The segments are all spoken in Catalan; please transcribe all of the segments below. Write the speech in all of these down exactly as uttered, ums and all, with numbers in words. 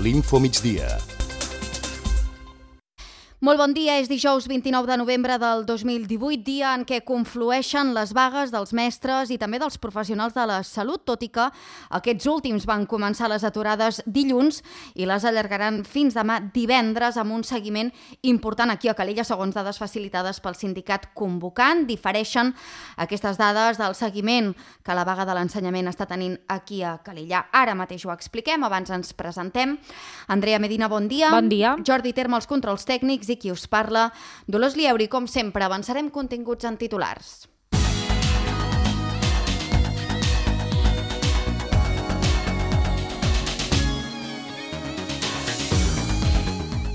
l'Info Migdia. Molt bon dia, és dijous vint-i-nou de novembre del dos mil divuit, dia en què conflueixen les vagues dels mestres i també dels professionals de la salut, tot i que aquests últims van començar les aturades dilluns i les allargaran fins demà divendres amb un seguiment important aquí a Calella, segons dades facilitades pel sindicat convocant. Difereixen aquestes dades del seguiment que la vaga de l'ensenyament està tenint aquí a Calella. Ara mateix ho expliquem, abans ens presentem. Andrea Medina, bon dia. Bon dia. Jordi Terme, els controls tècnics, i qui us parla, Dolors Lieuri. Com sempre, avançarem continguts en titulars.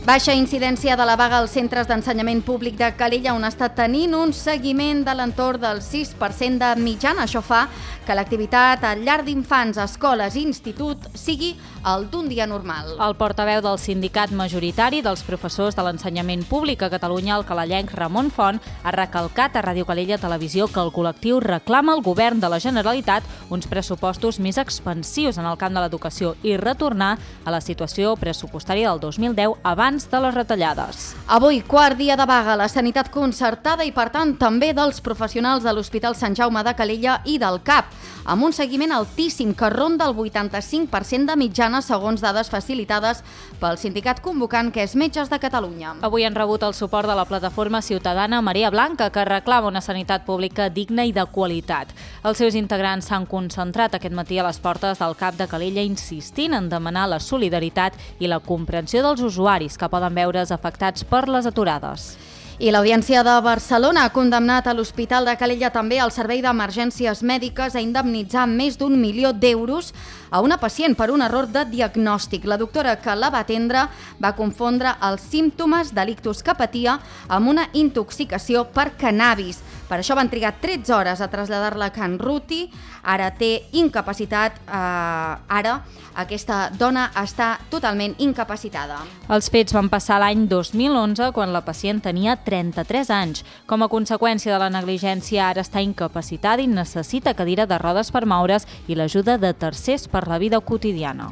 Baixa incidència de la vaga als centres d'ensenyament públic de Calella, on està tenint un seguiment de l'entorn del sis per cent de mitjana. Això fa que l'activitat a llar d'infants, escoles i institut sigui el d'un dia normal. El portaveu del sindicat majoritari dels professors de l'ensenyament públic a Catalunya, el calellenc Ramon Font, ha recalcat a Ràdio Calella Televisió que el col·lectiu reclama al govern de la Generalitat uns pressupostos més expansius en el camp de l'educació i retornar a la situació pressupostària del dos mil deu abans de les retallades. Avui, quart dia de vaga a la sanitat concertada i, per tant, també dels professionals de l'Hospital Sant Jaume de Calella i del C A P, amb un seguiment altíssim que ronda el vuitanta-cinc per cent de mitjana, segons dades facilitades pel sindicat convocant, que és Metges de Catalunya. Avui han rebut el suport de la plataforma ciutadana Marea Blanca, que reclama una sanitat pública digna i de qualitat. Els seus integrants s'han concentrat aquest matí a les portes del C A P de Calella, insistint en demanar la solidaritat i la comprensió dels usuaris que poden veure's afectats per les aturades. I l'Audiència de Barcelona ha condemnat a l'Hospital de Calella també al Servei d'Emergències Mèdiques a indemnitzar més d'un milió d'euros a una pacient per un error de diagnòstic. La doctora que la va atendre va confondre els símptomes de l'ictus que patia amb una intoxicació per cannabis. Per això van trigar tretze hores a traslladar-la a Can Ruti. Ara té incapacitat. Eh, ara aquesta dona està totalment incapacitada. Els fets van passar l'any dos mil onze, quan la pacient tenia trenta-tres anys. Com a conseqüència de la negligència, ara està incapacitada i necessita cadira de rodes per moure's i l'ajuda de tercers per la vida quotidiana.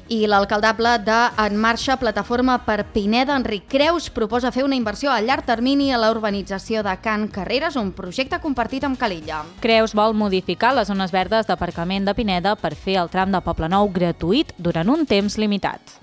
I l'alcaldable de En Marxa, Plataforma per Pineda, Enric Creus, proposa fer una inversió a llarg termini a la urbanització de Can Carreres, un projecte compartit amb Calella. Creus vol modificar les zones verdes d'aparcament de Pineda per fer el tram de Poblenou gratuït durant un temps limitat.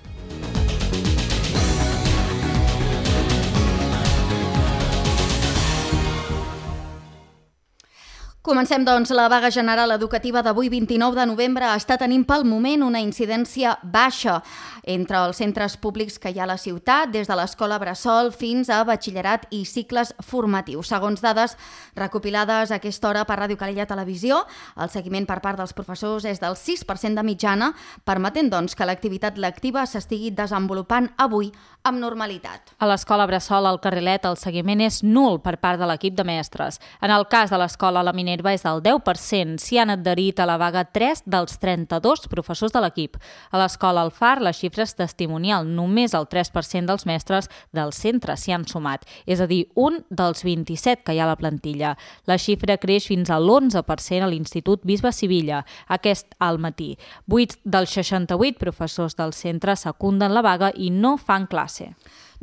Comencem, doncs. La vaga general educativa d'avui, vint-i-nou de novembre, està tenint pel moment una incidència baixa entre els centres públics que hi ha a la ciutat, des de l'escola bressol fins a batxillerat i cicles formatius. Segons dades recopilades a aquesta hora per Ràdio Calella Televisió, el seguiment per part dels professors és del sis per cent de mitjana, permetent, doncs, que l'activitat lectiva s'estigui desenvolupant avui amb normalitat. A l'escola bressol al Carrilet el seguiment és nul per part de l'equip de mestres. En el cas de l'escola La Minerva és del deu per cent. S'hi han adherit a la vaga tres dels trenta-dos professors de l'equip. A l'escola El Far la xifra és testimonial. Només el tres per cent dels mestres del centre s'hi han sumat, és a dir, un dels vint-i-set que hi ha a la plantilla. La xifra creix fins a l'onze per cent a l'Institut Bisbe Sivilla, aquest al matí. Vuit dels seixanta-vuit professors del centre secunden la vaga i no fan classe.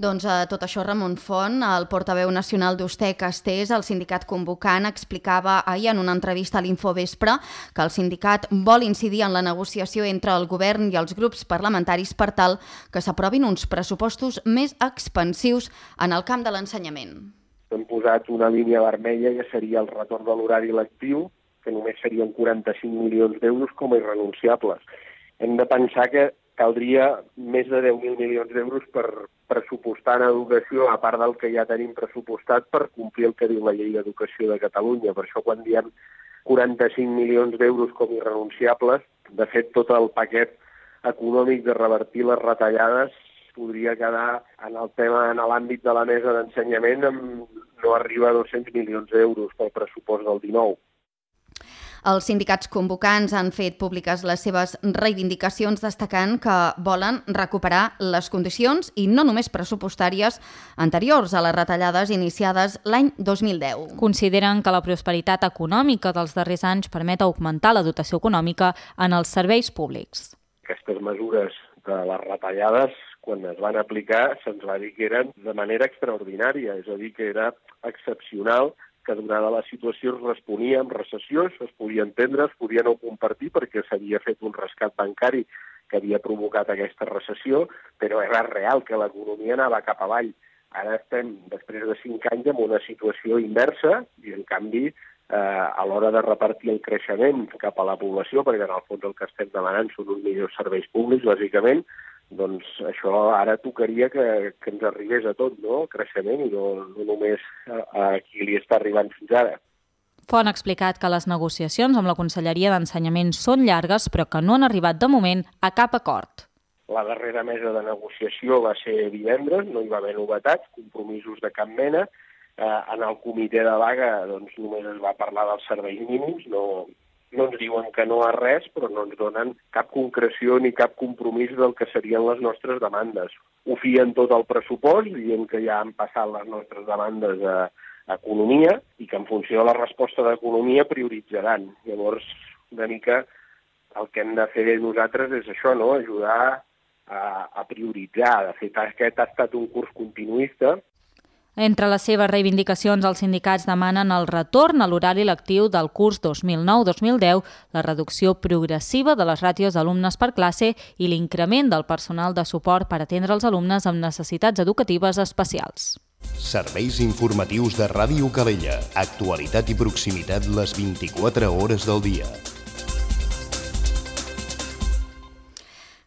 Doncs a tot això, Ramon Font, el portaveu nacional d'Usté Castés, el sindicat convocant, explicava ahir en una entrevista a l'Infovespre que el sindicat vol incidir en la negociació entre el govern i els grups parlamentaris per tal que s'aprovin uns pressupostos més expansius en el camp de l'ensenyament. Hem posat una línia vermella que seria el retorn de l'horari lectiu, que només serien quaranta-cinc milions d'euros com a irrenunciables. Hem de pensar que caldria més de deu mil milions d'euros per pressupostar en educació, a part del que ja tenim pressupostat, per complir el que diu la Llei d'Educació de Catalunya. Per això, quan diem quaranta-cinc milions d'euros com irrenunciables, de fet, tot el paquet econòmic de revertir les retallades podria quedar en el tema, en l'àmbit de la mesa d'ensenyament, amb no arriba a dos-cents milions d'euros pel pressupost del dinou. Els sindicats convocants han fet públiques les seves reivindicacions, destacant que volen recuperar les condicions, i no només pressupostàries, anteriors a les retallades iniciades l'any dos mil deu. Consideren que la prosperitat econòmica dels darrers anys permet augmentar la dotació econòmica en els serveis públics. Aquestes mesures de les retallades, quan es van aplicar, se'ns va dir que eren de manera extraordinària, és a dir, que era excepcional, que donada la situació es responia amb recessió, això es podia entendre, es podia no compartir perquè s'havia fet un rescat bancari que havia provocat aquesta recessió, però era real que l'economia anava cap avall. Ara estem, després de cinc anys, en una situació inversa i, en canvi, eh, a l'hora de repartir el creixement cap a la població, perquè en el fons el que estem demanant són uns millors serveis públics, bàsicament, doncs això ara tocaria que, que ens arribés a tot, no?, el creixement, i no, no només a, a qui li està arribant fins ara. Font ha explicat que les negociacions amb la Conselleria d'Ensenyament són llargues, però que no han arribat de moment a cap acord. La darrera mesa de negociació va ser divendres, no hi va haver novetats, compromisos de cap mena. Eh, en el comitè de vaga doncs, només es va parlar dels serveis mínims, no, no ens diuen que no a res, però no ens donen cap concreció ni cap compromís del que serien les nostres demandes. Ho fien tot al pressupost, dient que ja han passat les nostres demandes a, a Economia i que en funció de la resposta d'Economia prioritzaran. Llavors, una mica el que hem de fer nosaltres és això, no?, ajudar a, a prioritzar. De fet, aquest ha estat un curs continuista. Entre les seves reivindicacions, els sindicats demanen el retorn a l'horari lectiu del curs dos mil nou dos mil deu, la reducció progressiva de les ràtios d'alumnes per classe i l'increment del personal de suport per atendre els alumnes amb necessitats educatives especials. Serveis informatius de Ràdio Calella. Actualitat i proximitat les vint-i-quatre hores del dia.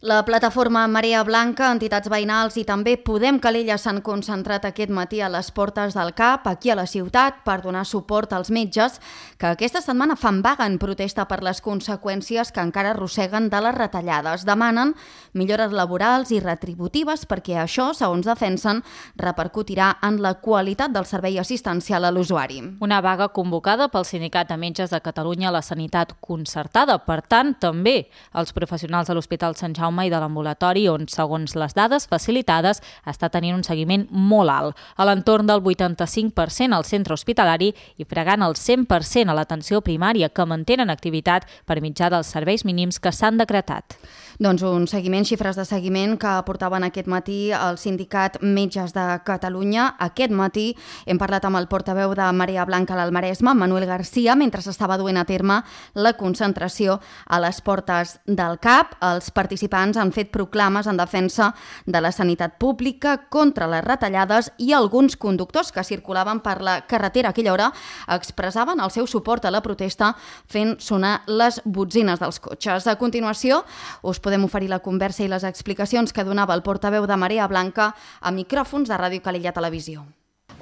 La plataforma Marea Blanca, entitats veïnals i també Podem Calella s'han concentrat aquest matí a les portes del C A P, aquí a la ciutat, per donar suport als metges que aquesta setmana fan vaga en protesta per les conseqüències que encara arrosseguen de les retallades. Demanen millores laborals i retributives perquè això, segons defensen, repercutirà en la qualitat del servei assistencial a l'usuari. Una vaga convocada pel Sindicat de Metges de Catalunya a la Sanitat Concertada. Per tant, també els professionals de l'Hospital Sant Jaume i de l'ambulatori, on, segons les dades facilitades, està tenint un seguiment molt alt, a l'entorn del vuitanta-cinc per cent al centre hospitalari i fregant el cent per cent a l'atenció primària, que mantenen activitat per mitjà dels serveis mínims que s'han decretat. Doncs un seguiment, xifres de seguiment que aportaven aquest matí el Sindicat Metges de Catalunya. Aquest matí hem parlat amb el portaveu de Marea Blanca al Maresme, Manuel García, mentre s'estava duent a terme la concentració a les portes del C A P. Els participants han fet proclames en defensa de la sanitat pública, contra les retallades, i alguns conductors que circulaven per la carretera a aquella hora expressaven el seu suport a la protesta fent sonar les botzines dels cotxes. A continuació, us podem oferir la conversa i les explicacions que donava el portaveu de Marea Blanca a micròfons de Ràdio Calella Televisió.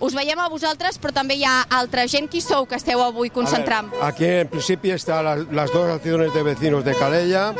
Us veiem a vosaltres, però també hi ha altra gent. Qui sou que esteu avui concentrant? Ver, aquí en principi están las, las dos asociaciones de vecinos de Calella,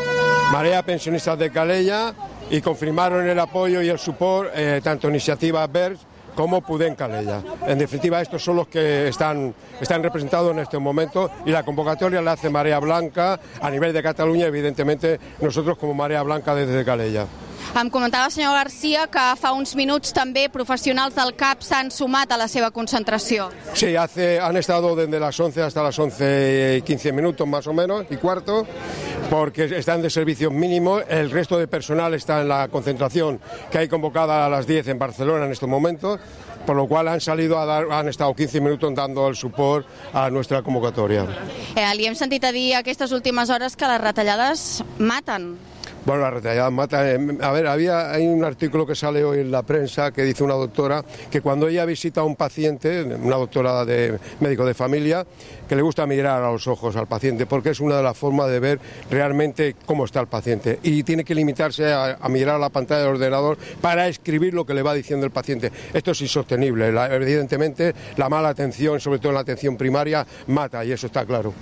Marea Pensionistas de Calella, y confirmaron el apoyo y el support eh, tanto Iniciativa Verds como Podem Calella. En definitiva, estos son los que están, están representados en este momento, y la convocatoria la hace Marea Blanca a nivel de Cataluña, evidentemente nosotros como Marea Blanca desde Calella. Em comentava el senyor García que fa uns minuts també professionals del C A P s'han sumat a la seva concentració. Sí, hace, han estado desde las once hasta las once y quince minutos más o menos, y cuarto, porque están de servicios mínimos. El resto de personal está en la concentración que hay convocada a las diez en Barcelona en estos momentos, por lo cual han salido a dar, han estado quince minutos dando el support a nuestra convocatoria. Eh, li hem sentit a dir aquestes últimes hores que les retallades maten. Bueno, la retallada mata. A ver, había, hay un artículo que sale hoy en la prensa que dice una doctora que cuando ella visita a un paciente, una doctora de médico de familia, que le gusta mirar a los ojos al paciente, porque es una de las formas de ver realmente cómo está el paciente. Y tiene que limitarse a, a mirar a la pantalla del ordenador para escribir lo que le va diciendo el paciente. Esto es insostenible. La, evidentemente, la mala atención, sobre todo en la atención primaria, mata, y eso está claro.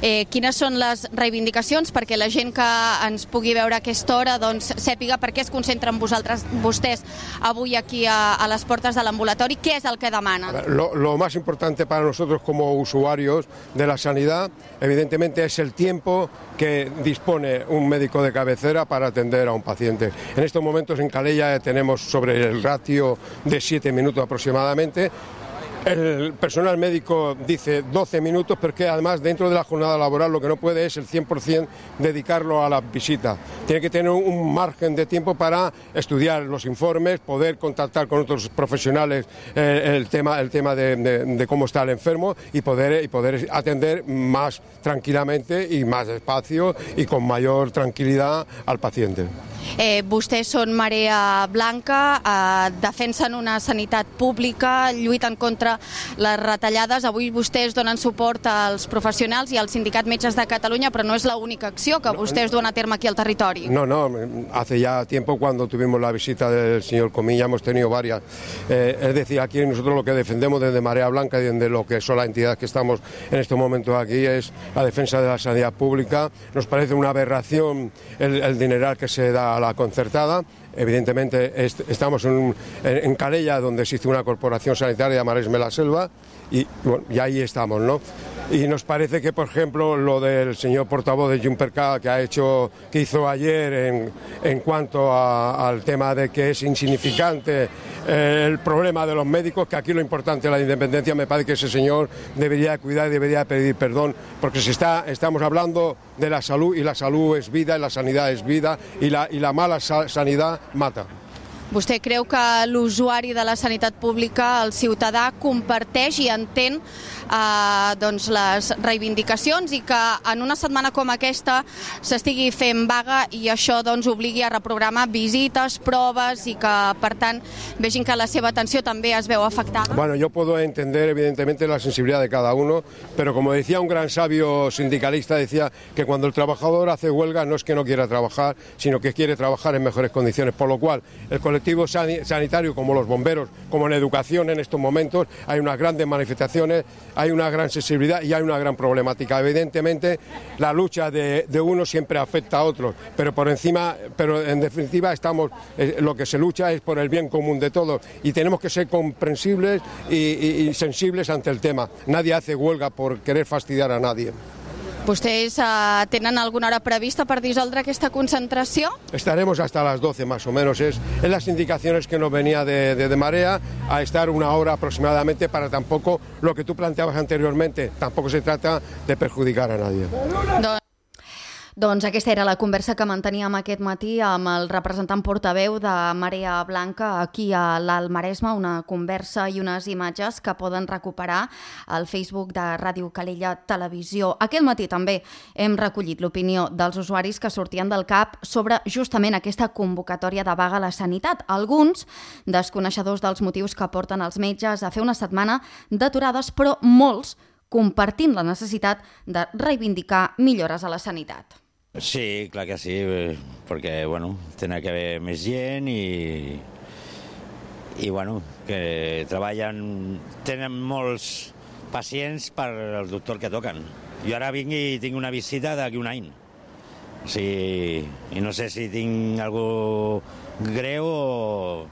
Eh, quines són les reivindicacions perquè la gent que ens pugui veure a aquesta hora doncs, sàpiga per què es concentren vosaltres, vostès avui aquí a, a les portes de l'ambulatori? Què és el que demanen? Lo, lo más importante para nosotros como usuarios de la sanidad, evidentemente, es el tiempo que dispone un médico de cabecera para atender a un paciente. En estos momentos en Calella tenemos sobre el ratio de siete minutos aproximadamente. El personal médico dice doce minutos porque además dentro de la jornada laboral lo que no puede es el cien por ciento dedicarlo a la visita. Tiene que tener un margen de tiempo para estudiar los informes, poder contactar con otros profesionales eh, el tema, el tema de, de, de cómo está el enfermo y poder, y poder atender más tranquilamente y más despacio y con mayor tranquilidad al paciente. Eh, vostès són Marea Blanca, eh, defensen una sanitat pública, lluiten contra les retallades. Avui vostès donen suport als professionals i al Sindicat Metges de Catalunya, però no és l'única acció que vostès duen a terme aquí al territori. No, no, hace ya tiempo cuando tuvimos la visita del señor Comilla hemos tenido varias. Eh, es decir, aquí nosotros lo que defendemos desde Marea Blanca y desde lo que son las entidades que estamos en estos momentos aquí es la defensa de la sanidad pública. Nos parece una aberración el, el dineral que se da a la concertada. Evidentemente est estamos en, en, en Calella, donde existe una corporación sanitaria, Maresme la Selva, y, bueno, y ahí estamos, ¿no? Y nos parece que, por ejemplo, lo del señor portavoz de Junpercat que ha hecho, que hizo ayer en, en cuanto a, al tema de que es insignificante eh, el problema de los médicos, que aquí lo importante es la independencia, me parece que ese señor debería cuidar y debería pedir perdón, porque se está, estamos hablando de la salud y la salud es vida y la sanidad es vida y la, y la mala sa sanidad mata. Vostè creu que l'usuari de la sanitat pública, el ciutadà, comparteix i entén eh, doncs les reivindicacions i que en una setmana com aquesta s'estigui fent vaga i això doncs obligui a reprogramar visites, proves i que per tant vegin que la seva atenció també es veu afectada? Bueno, yo puedo entender evidentemente la sensibilidad de cada uno, pero como decía un gran sabio sindicalista, decía que cuando el trabajador hace huelga no es que no quiera trabajar, sino que quiere trabajar en mejores condiciones, por lo cual el colectivo sanitario, como los bomberos, como en educación en estos momentos, hay unas grandes manifestaciones, hay una gran sensibilidad y hay una gran problemática. Evidentemente, la lucha de, de unos siempre afecta a otros, pero por encima, pero en definitiva estamos, eh, lo que se lucha es por el bien común de todos y tenemos que ser comprensibles y, y, y sensibles ante el tema. Nadie hace huelga por querer fastidiar a nadie. ¿Vostès uh, tenen alguna hora prevista per dissoldre aquesta concentració? Estaremos hasta las doce más o menos, es, es las indicaciones que nos venía de, de, de Marea, a estar una hora aproximadamente para tampoco, lo que tú planteabas anteriormente, tampoco se trata de perjudicar a nadie. Don... Doncs aquesta era la conversa que manteníem aquest matí amb el representant portaveu de Marea Blanca aquí a l'Alt Maresme, una conversa i unes imatges que poden recuperar al Facebook de Ràdio Calella Televisió. Aquest matí també hem recollit l'opinió dels usuaris que sortien del C A P sobre justament aquesta convocatòria de vaga a la sanitat. Alguns desconeixedors dels motius que porten els metges a fer una setmana d'aturades, però molts compartint la necessitat de reivindicar millores a la sanitat. Sí, clar que sí, perquè, bueno, tenen que haver més gent i, i bueno, que treballen, tenen molts pacients per al doctor que toquen. Jo ara vinc i tinc una visita d'aquí un any. O sigui, i no sé si tinc algú greu o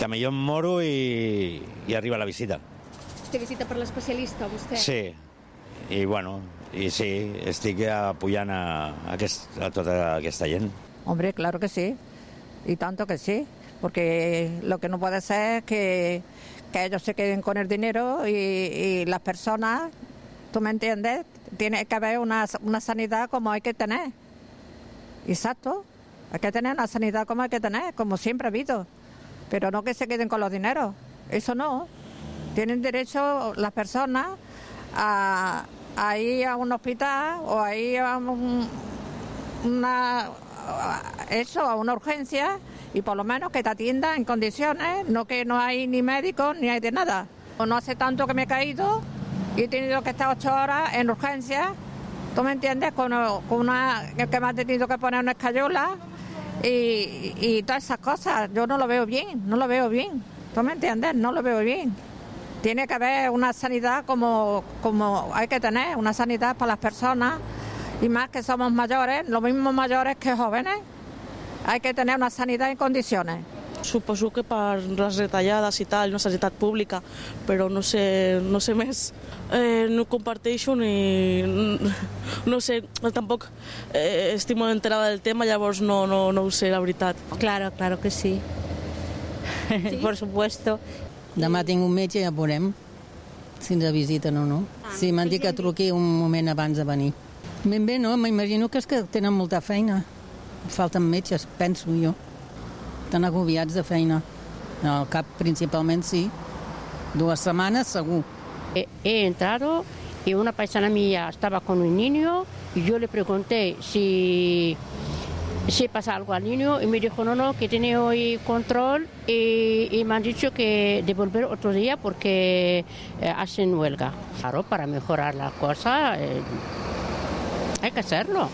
que millor em moro i, i arriba la visita. Té visita per l'especialista, vostè? Sí, i bueno, y sí, estic apoyant a, a, aquest, a tota aquesta gent. Hombre, claro que sí, y tanto que sí, porque lo que no puede ser es que, que ellos se queden con el dinero y, y las personas, ¿tú me entiendes? Tiene que haber una, una sanidad como hay que tener. Exacto, hay que tener una sanidad como hay que tener, como siempre ha habido, pero no que se queden con los dineros, eso no. Tienen derecho las personas a... a ir a un hospital o a ir a un, una, eso, a una urgencia y por lo menos que te atienda en condiciones, no que no hay ni médicos ni hay de nada. No hace tanto que me he caído y he tenido que estar ocho horas en urgencia, ¿tú me entiendes? Con, con una, que me ha tenido que poner una escayola y, y todas esas cosas. Yo no lo veo bien, no lo veo bien, ¿tú me entiendes? No lo veo bien. Tiene que haber una sanidad como, como hay que tener, una sanidad para las personas, y más que somos mayores, los mismos mayores que jóvenes, hay que tener una sanidad en condiciones. Suposo que per les retallades i tal, una sanitat pública, però no sé, no sé més. Eh, no comparteixo ni... No sé, tampoc eh, estic molt enterada del tema, llavors no, no, no ho sé, la veritat. Claro, claro que sí. ¿Sí? Por supuesto. Demà tinc un metge i ja veurem. si ens visiten o no. Sí, m'han dit que truqui un moment abans de venir. Ben bé, no, m'imagino que és que tenen molta feina. Falten metges, penso jo. Estan agobiats de feina. Al cap, principalment, sí. Dues setmanes, segur. He, he entrado y una paisana mía estaba con un niño y yo le pregunté si, si pasa algo al niño y me dijo no, no, que tiene hoy control y, y me han dicho que devolver otro día porque eh, hacen huelga. Claro, para mejorar la cosa eh, hay que hacerlo.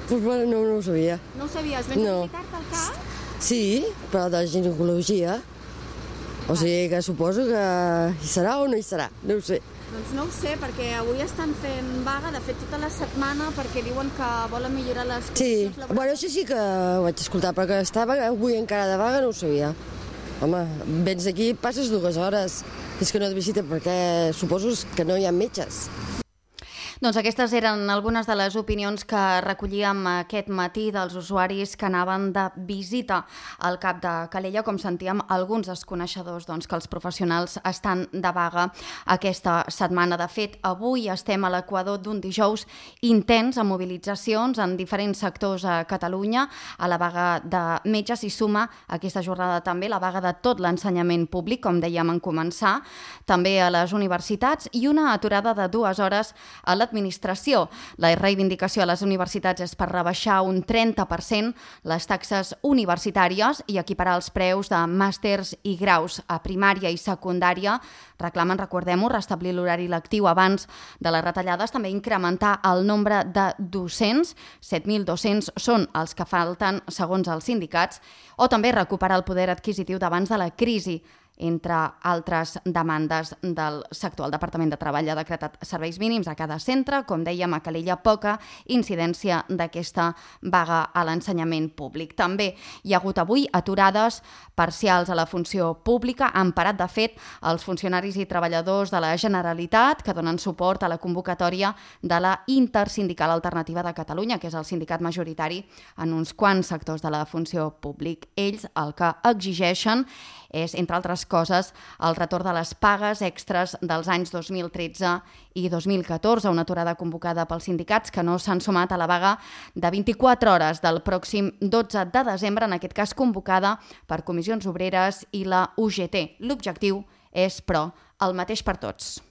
Pues bueno, no, no ho sabia. No ho sabies? Vens no. a visitar-te al cap? Sí, però de ginecologia. O sigui que suposo que hi serà o no hi serà, no ho sé. Doncs no ho sé, perquè avui estan fent vaga, de fet tota la setmana, perquè diuen que volen millorar les Sí, condicions laborals. bueno, això sí que ho vaig escoltar, però que estava avui encara de vaga no ho sabia. Home, vens aquí, passes dues hores, és que no et visita perquè suposo que no hi ha metges. Doncs aquestes eren algunes de les opinions que recollíem aquest matí dels usuaris que anaven de visita al cap de Calella. Com sentíem, alguns dels coneixedors doncs, que els professionals estan de vaga aquesta setmana. De fet, avui estem a l'equador d'un dijous intens amb mobilitzacions en diferents sectors a Catalunya. A la vaga de metges s'hi suma aquesta jornada també la vaga de tot l'ensenyament públic, com dèiem en començar, també a les universitats i una aturada de dues hores a l'administració. La reivindicació a les universitats és per rebaixar un trenta per cent les taxes universitàries i equiparar els preus de màsters i graus a primària i secundària. Reclamen, recordem-ho, restablir l'horari lectiu abans de les retallades, també incrementar el nombre de docents, set mil dos-cents són els que falten segons els sindicats, o també recuperar el poder adquisitiu d'abans de la crisi, entre altres demandes del sector. El Departament de Treball ha decretat serveis mínims a cada centre. Com dèiem, a Calella poca incidència d'aquesta vaga a l'ensenyament públic. També hi ha hagut avui aturades parcials a la funció pública. Han parat, de fet, els funcionaris i treballadors de la Generalitat que donen suport a la convocatòria de la Intersindical Alternativa de Catalunya, que és el sindicat majoritari en uns quants sectors de la funció públic. Ells el que exigeixen és, entre altres coses, el retorn de les pagues extres dels anys dos mil tretze i dos mil catorze, una aturada convocada pels sindicats que no s'han sumat a la vaga de vint-i-quatre hores del pròxim dotze de desembre, en aquest cas convocada per Comissions Obreres i la U G T. L'objectiu és, però, el mateix per tots.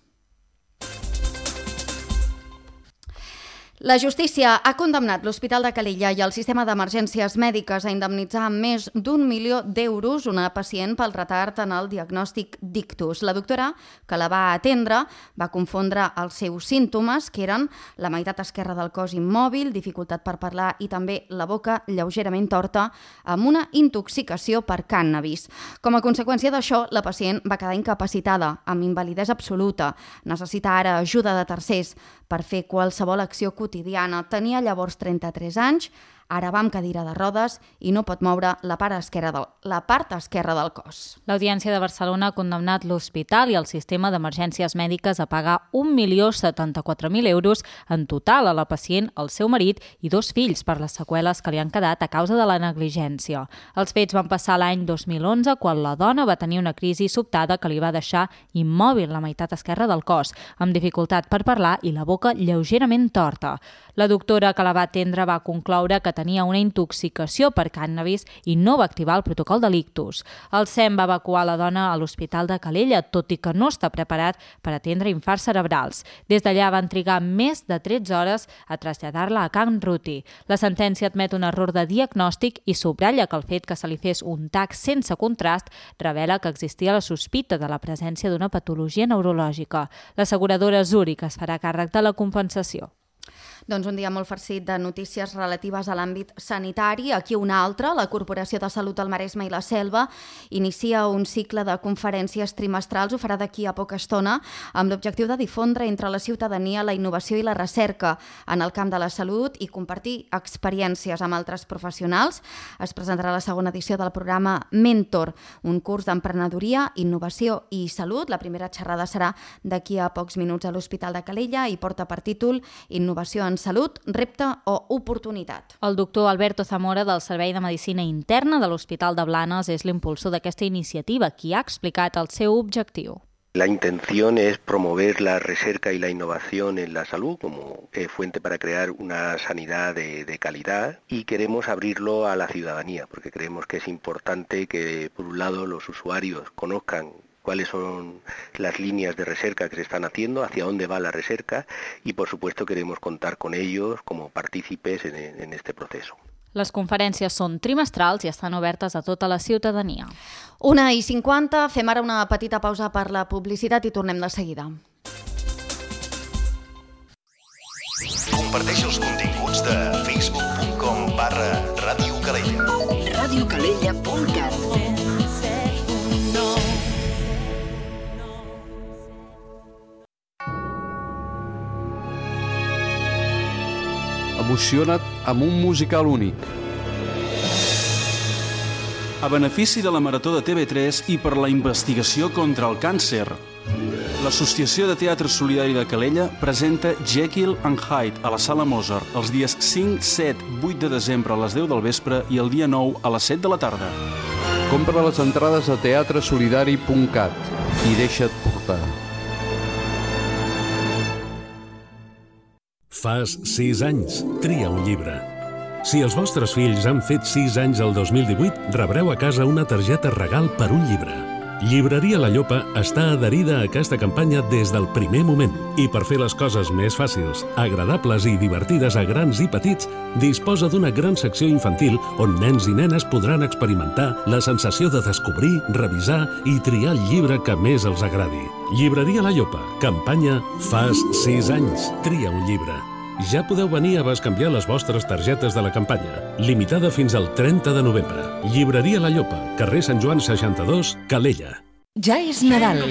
La justícia ha condemnat l'Hospital de Calella i el sistema d'emergències mèdiques a indemnitzar amb més d'un milió d'euros una pacient pel retard en el diagnòstic d'ictus. La doctora, que la va atendre, va confondre els seus símptomes, que eren la meitat esquerra del cos immòbil, dificultat per parlar i també la boca lleugerament torta, amb una intoxicació per cànnabis. Com a conseqüència d'això, la pacient va quedar incapacitada, amb invalidesa absoluta. Necessita ara ajuda de tercers per fer qualsevol acció quotidiana. Tenia llavors trenta-tres anys, ara va amb cadira de rodes i no pot moure la part esquerra del, la part esquerra del cos. L'Audiència de Barcelona ha condemnat l'hospital i el sistema d'emergències mèdiques a pagar un milió setanta-quatre mil euros en total a la pacient, el seu marit i dos fills per les seqüeles que li han quedat a causa de la negligència. Els fets van passar l'any dos mil onze, quan la dona va tenir una crisi sobtada que li va deixar immòbil la meitat esquerra del cos, amb dificultat per parlar i la boca lleugerament torta. La doctora que la va atendre va concloure que tenia una intoxicació per cànnabis i no va activar el protocol de l'ictus. El S E M va evacuar la dona a l'Hospital de Calella, tot i que no està preparat per atendre infarts cerebrals. Des d'allà van trigar més de tretze hores a traslladar-la a Can Ruti. La sentència admet un error de diagnòstic i subratlla que el fet que se li fes un tac sense contrast revela que existia la sospita de la presència d'una patologia neurològica. L'asseguradora Zurich es farà càrrec de la compensació. Doncs un dia molt farcit de notícies relatives a l'àmbit sanitari. Aquí una altra, la Corporació de Salut del Maresme i la Selva inicia un cicle de conferències trimestrals, ho farà d'aquí a poca estona, amb l'objectiu de difondre entre la ciutadania la innovació i la recerca en el camp de la salut i compartir experiències amb altres professionals. Es presentarà la segona edició del programa Mentor, un curs d'emprenedoria, innovació i salut. La primera xerrada serà d'aquí a pocs minuts a l'Hospital de Calella i porta per títol Innovació en salut, repte o oportunitat. El doctor Alberto Zamora, del Servei de Medicina Interna de l'Hospital de Blanes, és l'impulsor d'aquesta iniciativa, qui ha explicat el seu objectiu. La intención es promover la recerca y la innovación en la salud como eh, fuente para crear una sanidad de, de calidad, y queremos abrirlo a la ciudadanía porque creemos que es importante que, por un lado, los usuarios conozcan cuáles son las líneas de recerca que se están haciendo, hacia dónde va la recerca, y por supuesto queremos contar con ellos como partícipes en, en este proceso. Les conferències són trimestrals i estan obertes a tota la ciutadania. Una i cinquanta, fem ara una petita pausa per la publicitat i tornem de seguida. Comparteix els continguts de facebook punt com barra Ràdio Calella. ràdio calella punt cat. Emociona't amb un musical únic. A benefici de la Marató de T V tres i per la investigació contra el càncer, l'Associació de Teatre Solidari de Calella presenta Jekyll and Hyde a la Sala Mozart els dies cinc, set, vuit de desembre a les deu del vespre i el dia nou a les set de la tarda. Compra les entrades a teatre solidari punt cat i deixa't portar. Fas sis anys, tria un llibre. Si els vostres fills han fet sis anys el dos mil divuit, rebreu a casa una targeta regal per un llibre. Llibreria La Llopa està adherida a aquesta campanya des del primer moment i per fer les coses més fàcils, agradables i divertides a grans i petits, disposa d'una gran secció infantil on nens i nenes podran experimentar la sensació de descobrir, revisar i triar el llibre que més els agradi. Llibreria La Llopa, campanya Fas sis anys, tria un llibre. Ja podeu venir a bescanviar les vostres targetes de la campanya, limitada fins al trenta de novembre. Llibreria La Llopa, carrer Sant Joan seixanta-dos, Calella. Ja és Nadal.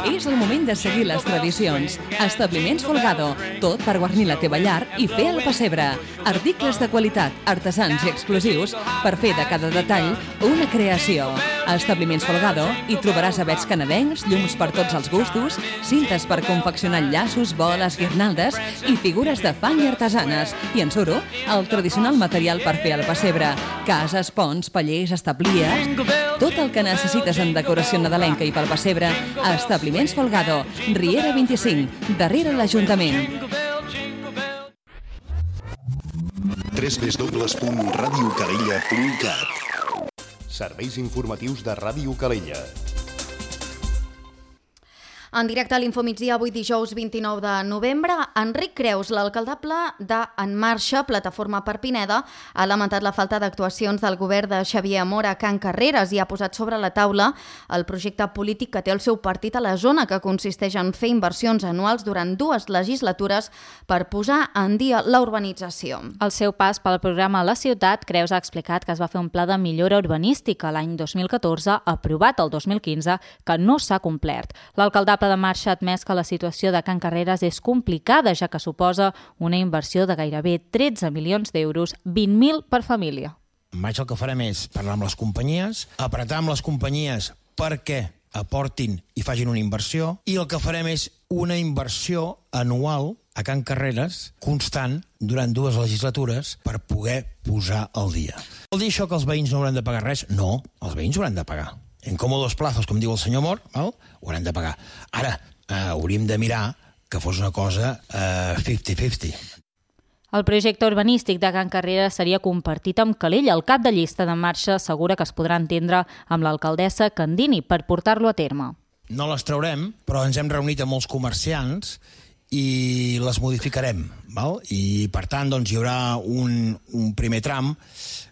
És el moment de seguir les tradicions. Establiments Folgado, tot per guarnir la teva llar i fer el pessebre. Articles de qualitat, artesans i exclusius per fer de cada detall una creació. A Establiments Folgado hi trobaràs avets canadencs, llums per tots els gustos, cintes per confeccionar llaços, boles, guirnaldes i figures de fang i artesanes. I en suro, el tradicional material per fer el pessebre. Cases, ponts, pallers, establies... Tot el que necessites en decoració nadalenca i pel pessebre a Establiments Folgado, Riera vint-i-cinc, darrere l'Ajuntament. w w w punt ràdio calella punt cat. Serveis informatius de Ràdio Calella. En directe a l'Infomigdia, avui dijous vint-i-nou de novembre, Enric Creus, l'alcaldable de En Marxa, Plataforma per Pineda, ha lamentat la falta d'actuacions del govern de Xavier Amor a Can Carreres i ha posat sobre la taula el projecte polític que té el seu partit a la zona, que consisteix en fer inversions anuals durant dues legislatures per posar en dia la urbanització. Al seu pas pel programa a la ciutat, Creus ha explicat que es va fer un pla de millora urbanística l'any dos mil catorze, aprovat el dos mil quinze, que no s'ha complert. L'alcaldable de Marxa ha admès que la situació de Can Carreres és complicada, ja que suposa una inversió de gairebé tretze milions d'euros, vint mil per família. Maig el que farem és parlar amb les companyies, apretar amb les companyies perquè aportin i facin una inversió, i el que farem és una inversió anual a Can Carreres constant durant dues legislatures per poder posar al dia. Vol dir això que els veïns no hauran de pagar res? No, els veïns hauran de pagar. En còmodos plazos, com diu el senyor Mor, val? Ho hauran de pagar. Ara, eh, hauríem de mirar que fos una cosa eh, cinquanta cinquanta. El projecte urbanístic de Can Carreres seria compartit amb Calella. El cap de llista de Marxa assegura que es podrà entendre amb l'alcaldessa Candini per portar-lo a terme. No les traurem, però ens hem reunit amb molts comerciants i les modificarem, val? I per tant doncs, hi haurà un, un primer tram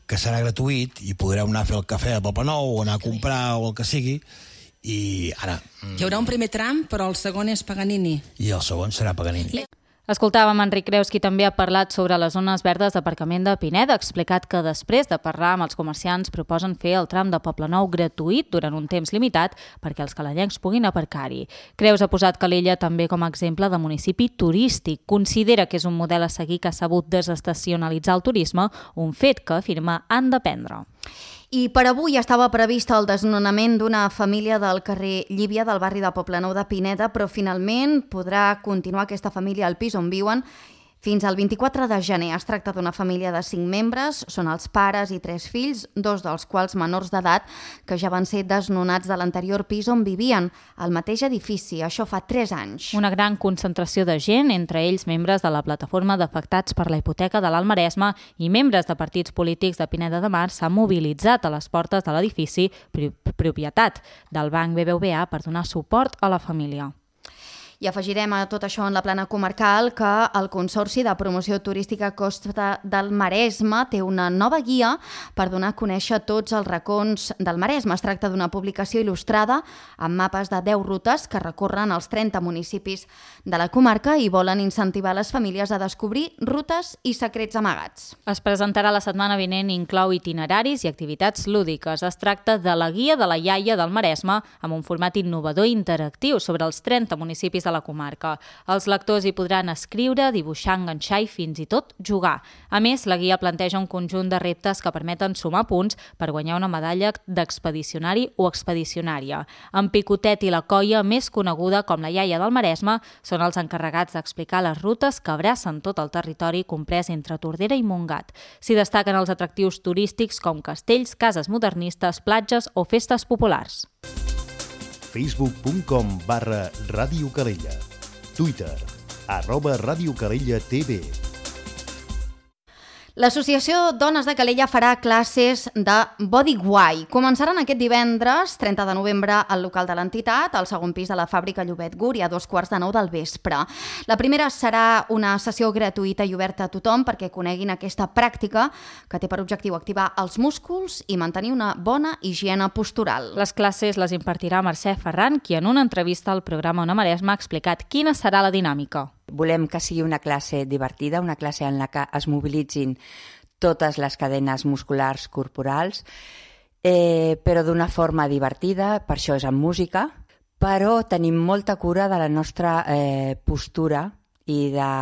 que serà gratuït i podreu anar a fer el cafè a Poble Nou o anar a comprar o el que sigui, i ara... Hi haurà un primer tram, però el segon és Paganini. I el segon serà Paganini. Escoltàvem Enric Creus, qui també ha parlat sobre les zones verdes d'aparcament de Pineda. Ha explicat que després de parlar amb els comerciants proposen fer el tram de Poblenou gratuït durant un temps limitat perquè els calellencs puguin aparcar-hi. Creus ha posat Calella també com a exemple de municipi turístic. Considera que és un model a seguir que ha sabut desestacionalitzar el turisme, un fet que afirma han d'aprendre. I per avui estava previst el desnonament d'una família del carrer Llívia del barri de Poblenou de Pineda, però finalment podrà continuar aquesta família al pis on viuen fins al vint-i-quatre de gener. Es tracta d'una família de cinc membres, són els pares i tres fills, dos dels quals menors d'edat, que ja van ser desnonats de l'anterior pis on vivien, al mateix edifici. Això fa tres anys. Una gran concentració de gent, entre ells membres de la plataforma d'afectats per la hipoteca de l'Alt Maresme i membres de partits polítics de Pineda de Mar, s'han mobilitzat a les portes de l'edifici propietat del Banc B B V A per donar suport a la família. I afegirem a tot això en la plana comarcal que el Consorci de Promoció Turística Costa del Maresme té una nova guia per donar a conèixer tots els racons del Maresme. Es tracta d'una publicació il·lustrada amb mapes de deu rutes que recorren els trenta municipis de la comarca i volen incentivar les famílies a descobrir rutes i secrets amagats. Es presentarà la setmana vinent i inclou itineraris i activitats lúdiques. Es tracta de la guia de la iaia del Maresme amb un format innovador i interactiu sobre els trenta municipis de la comarca. Els lectors hi podran escriure, dibuixar, enganxar i fins i tot jugar. A més, la guia planteja un conjunt de reptes que permeten sumar punts per guanyar una medalla d'expedicionari o expedicionària. En Picotet i la colla, més coneguda com la iaia del Maresme, són els encarregats d'explicar les rutes que abracen tot el territori comprès entre Tordera i Montgat. S'hi destaquen els atractius turístics com castells, cases modernistes, platges o festes populars. facebook punt com barra Ràdio Calella. Twitter, arroba Ràdio Calella T V. L'Associació Dones de Calella farà classes de Bodyguai. Començaran aquest divendres, trenta de novembre, al local de l'entitat, al segon pis de la fàbrica Llobet Guri, a dos quarts de nou del vespre. La primera serà una sessió gratuïta i oberta a tothom perquè coneguin aquesta pràctica que té per objectiu activar els músculs i mantenir una bona higiene postural. Les classes les impartirà Mercè Ferran, qui en una entrevista al programa Ona Maresme ha explicat quina serà la dinàmica. Volem que sigui una classe divertida, una classe en la que es mobilitzin totes les cadenes musculars corporals, eh, però d'una forma divertida, per això és amb música, però tenim molta cura de la nostra eh, postura i de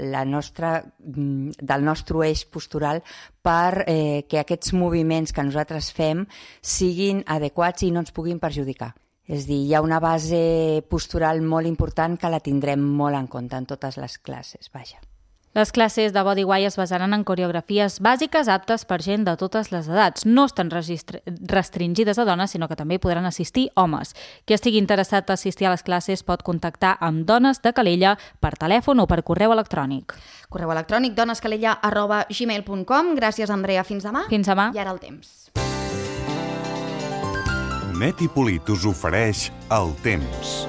la nostra, del nostre eix postural per eh, que aquests moviments que nosaltres fem siguin adequats i no ens puguin perjudicar. És a dir, hi ha una base postural molt important que la tindrem molt en compte en totes les classes, vaja. Les classes de Bodyguai es basaran en coreografies bàsiques aptes per gent de totes les edats. No estan restringides a dones, sinó que també hi podran assistir homes. Qui estigui interessat a assistir a les classes pot contactar amb Dones de Calella per telèfon o per correu electrònic. Correu electrònic donescalella arroba gmail punt com. Gràcies, Andrea. Fins demà. Fins demà. I ara el temps. Net i Polit us ofereix el temps.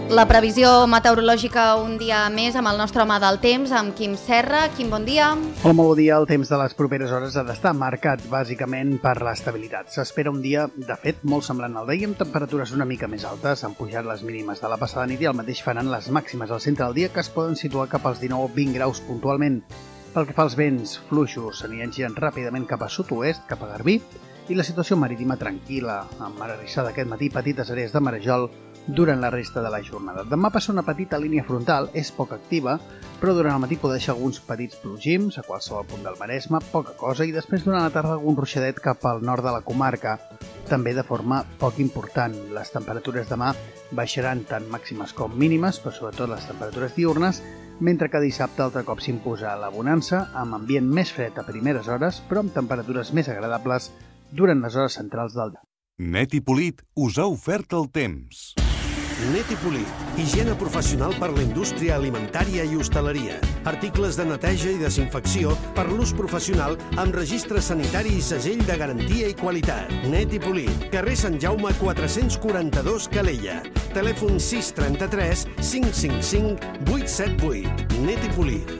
La previsió meteorològica un dia més amb el nostre home del temps, amb Quim Serra. Quim, bon dia. Hola, molt bon dia. El temps de les properes hores ha d'estar marcat bàsicament per l'estabilitat. S'espera un dia, de fet, molt semblant al d'ahir, amb temperatures una mica més altes. Han pujat les mínimes de la passada nit i el mateix faran les màximes al centre del dia, que es poden situar cap als dinou o vint graus puntualment. Pel que fa als vents fluixos, s'aniran girant ràpidament cap a sud-oest, cap a Garbí, i la situació marítima tranquil·la, amb mar arrissada aquest matí, petites àrees de marejol durant la resta de la jornada. Demà passa una petita línia frontal, és poc activa, però durant el matí pot deixar alguns petits plogims a qualsevol punt del Maresme, poca cosa, i després durant la tarda algun ruixadet cap al nord de la comarca, també de forma poc important. Les temperatures demà baixaran tant màximes com mínimes, però sobretot les temperatures diurnes, mentre que dissabte altre cop s'imposa la bonança, amb ambient més fred a primeres hores, però amb temperatures més agradables durant les hores centrals del dia. Net i Polit us ha ofert el temps. Net i Polit, higiene professional per la indústria alimentària i hostaleria. Articles de neteja i desinfecció per l'ús professional amb registre sanitari i segell de garantia i qualitat. Net i Polit, carrer Sant Jaume quatre-cents quaranta-dos Calella. Telèfon sis trenta-tres cinc cinc cinc vuit set vuit. Net i Polit.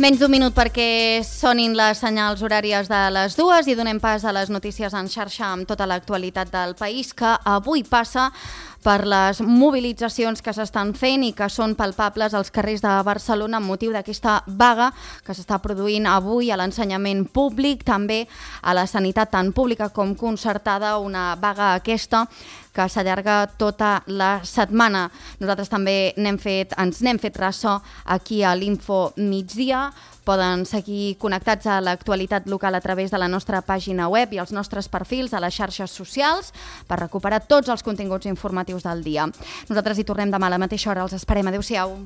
Menys d'un minut perquè sonin les senyals horàries de les dues i donem pas a les notícies en xarxa amb tota l'actualitat del país, que avui passa per les mobilitzacions que s'estan fent i que són palpables als carrers de Barcelona amb motiu d'aquesta vaga que s'està produint avui a l'ensenyament públic, també a la sanitat tant pública com concertada, una vaga aquesta que s'allarga tota la setmana. Nosaltres també n'hem fet, ens n'hem fet ressò aquí a l'Info Migdia. Poden seguir connectats a l'actualitat local a través de la nostra pàgina web i els nostres perfils a les xarxes socials per recuperar tots els continguts informatius del dia. Nosaltres hi tornem demà a la mateixa hora. Els esperem. Adéu-siau.